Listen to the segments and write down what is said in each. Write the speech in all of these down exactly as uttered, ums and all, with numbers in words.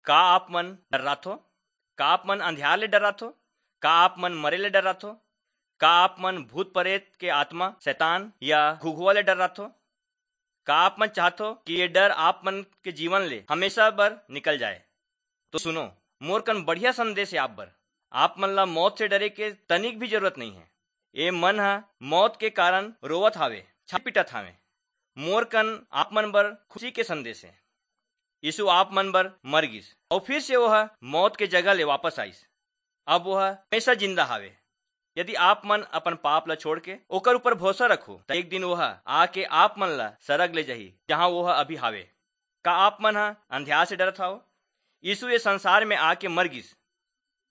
का आप मन डर्राथो? का आप मन अंधियार ले डर्राथो? का आप मन मरे ले डर्राथो? का आप मन भूत परेत के आत्मा, शैतान या घुघुआ ले डर्राथो? का आप मन चाहथो कि ये डर आप मन के जीवन ले हमेशा बर निकल जाए? तो सुनो, मोर कन बढ़िया संदेश हे आप बर। आप मन ला मौत से डरे के तनिक भी जरूरत नहीं है। ए मन ह मौत के कारण रोवत हावे, छाती पीटत हावे। मोर कन आप मन बर खुशी के संदेश हे। यीशु आप मन बर मर गिस अउ फिर से ओह मौत के जगह ले वापस आइस। अब ओह हमेशा जिंदा हावे। यदि आप मन अपन पाप ला छोड़ के ओकर ऊपर भरोसा रखो, त एक दिन ओह आके आप मन ला सरग ले जाही, जहां ओह अभी हावे। का आप मन ह अंधियार से डरत हव? यीशु ये संसार में आके मर गिस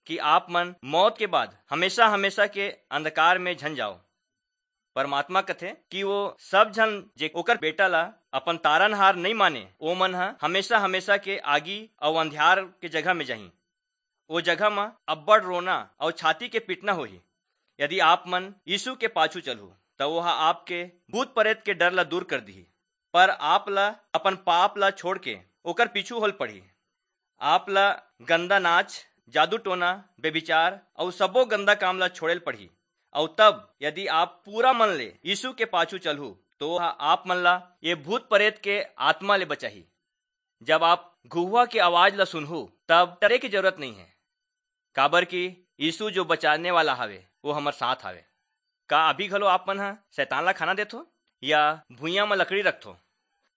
कि आप मन मौत के बाद हमेशा हमेशा के अंधकार में झन जाओ। परमात्मा कथे कि वो सब झन जे ओकर बेटा ला अपन तारनहार नहीं माने, ओ मन ह हमेशा हमेशा के आगी अउ अंधियार के जगह में जाही। ओ जगह म अब्बड़ रोना अउ छाती के पीटना होही। यदि आप मन यीशु के पाछू चलहू, त ओह आपके भूत परेत के डर ला दूर कर दिही। पर आप ला अपन पाप ला छोड़ के ओकर पीछू होल पड़ही। आप ला गंदा नाच, जादू टोना, बेभिचार अउ सबो गंदा काम ला छोड़ेल पड़ही। अउ तब यदि आप पूरा मन ले यीशु के पाछू चलहू, तो ओह आप मन ला ये भूत परेत के आत्मा ले बचाही। जब आप घुघुआ के आवाज ला सुनहू, तब डरे के जरूरत नहीं है, काबर कि यीशु जो बचाने वाला हावे, वो हमर साथ हावे। का अभी घलो आप मन ह शैतान ला खाना देथो या भुइयां म लकड़ी रखथो?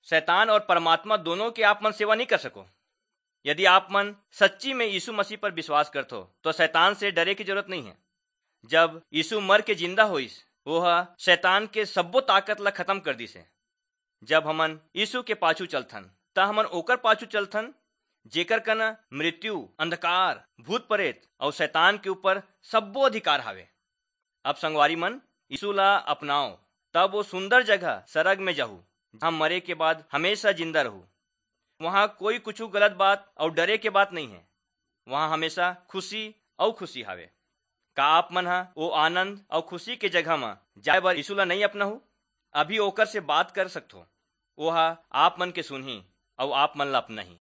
शैतान और परमात्मा दोनों के आप मन सेवा नहीं कर सको। यदि आप मन सच्ची में यीशु मसीह पर विश्वास करथो, तो शैतान से डरे की जरूरत नहीं है। जब यीशु मर के जिंदा होइस, वो ह शैतान के सब्बो ताकत ला खत्म कर दिस हे। जब हमन यीशु के पाछू चलथन, त हमन ओकर पाछू चलथन, जेकर कन मृत्यु, अंधकार, भूत परेत अउ शैतान के ऊपर सब्बो अधिकार हावे। अब संगवारी मन, यीशु ला अपनाओ, तब वो सुंदर जगह सरग में जाहू, जहां मरे के बाद हमेशा जिंदा रहू। वहां कोई कुछ गलत बात अउ डरे के बात नहीं है। वहां हमेशा खुशी अउ खुशी हावे। का आप मन ह ओ आनंद अउ खुशी के जगह म जाए बर यीशु ला नहीं अपनाहू? अभी ओकर से बात कर सकथो। वो ह आप मन के सुनही अउ आप मन ला अपनाही।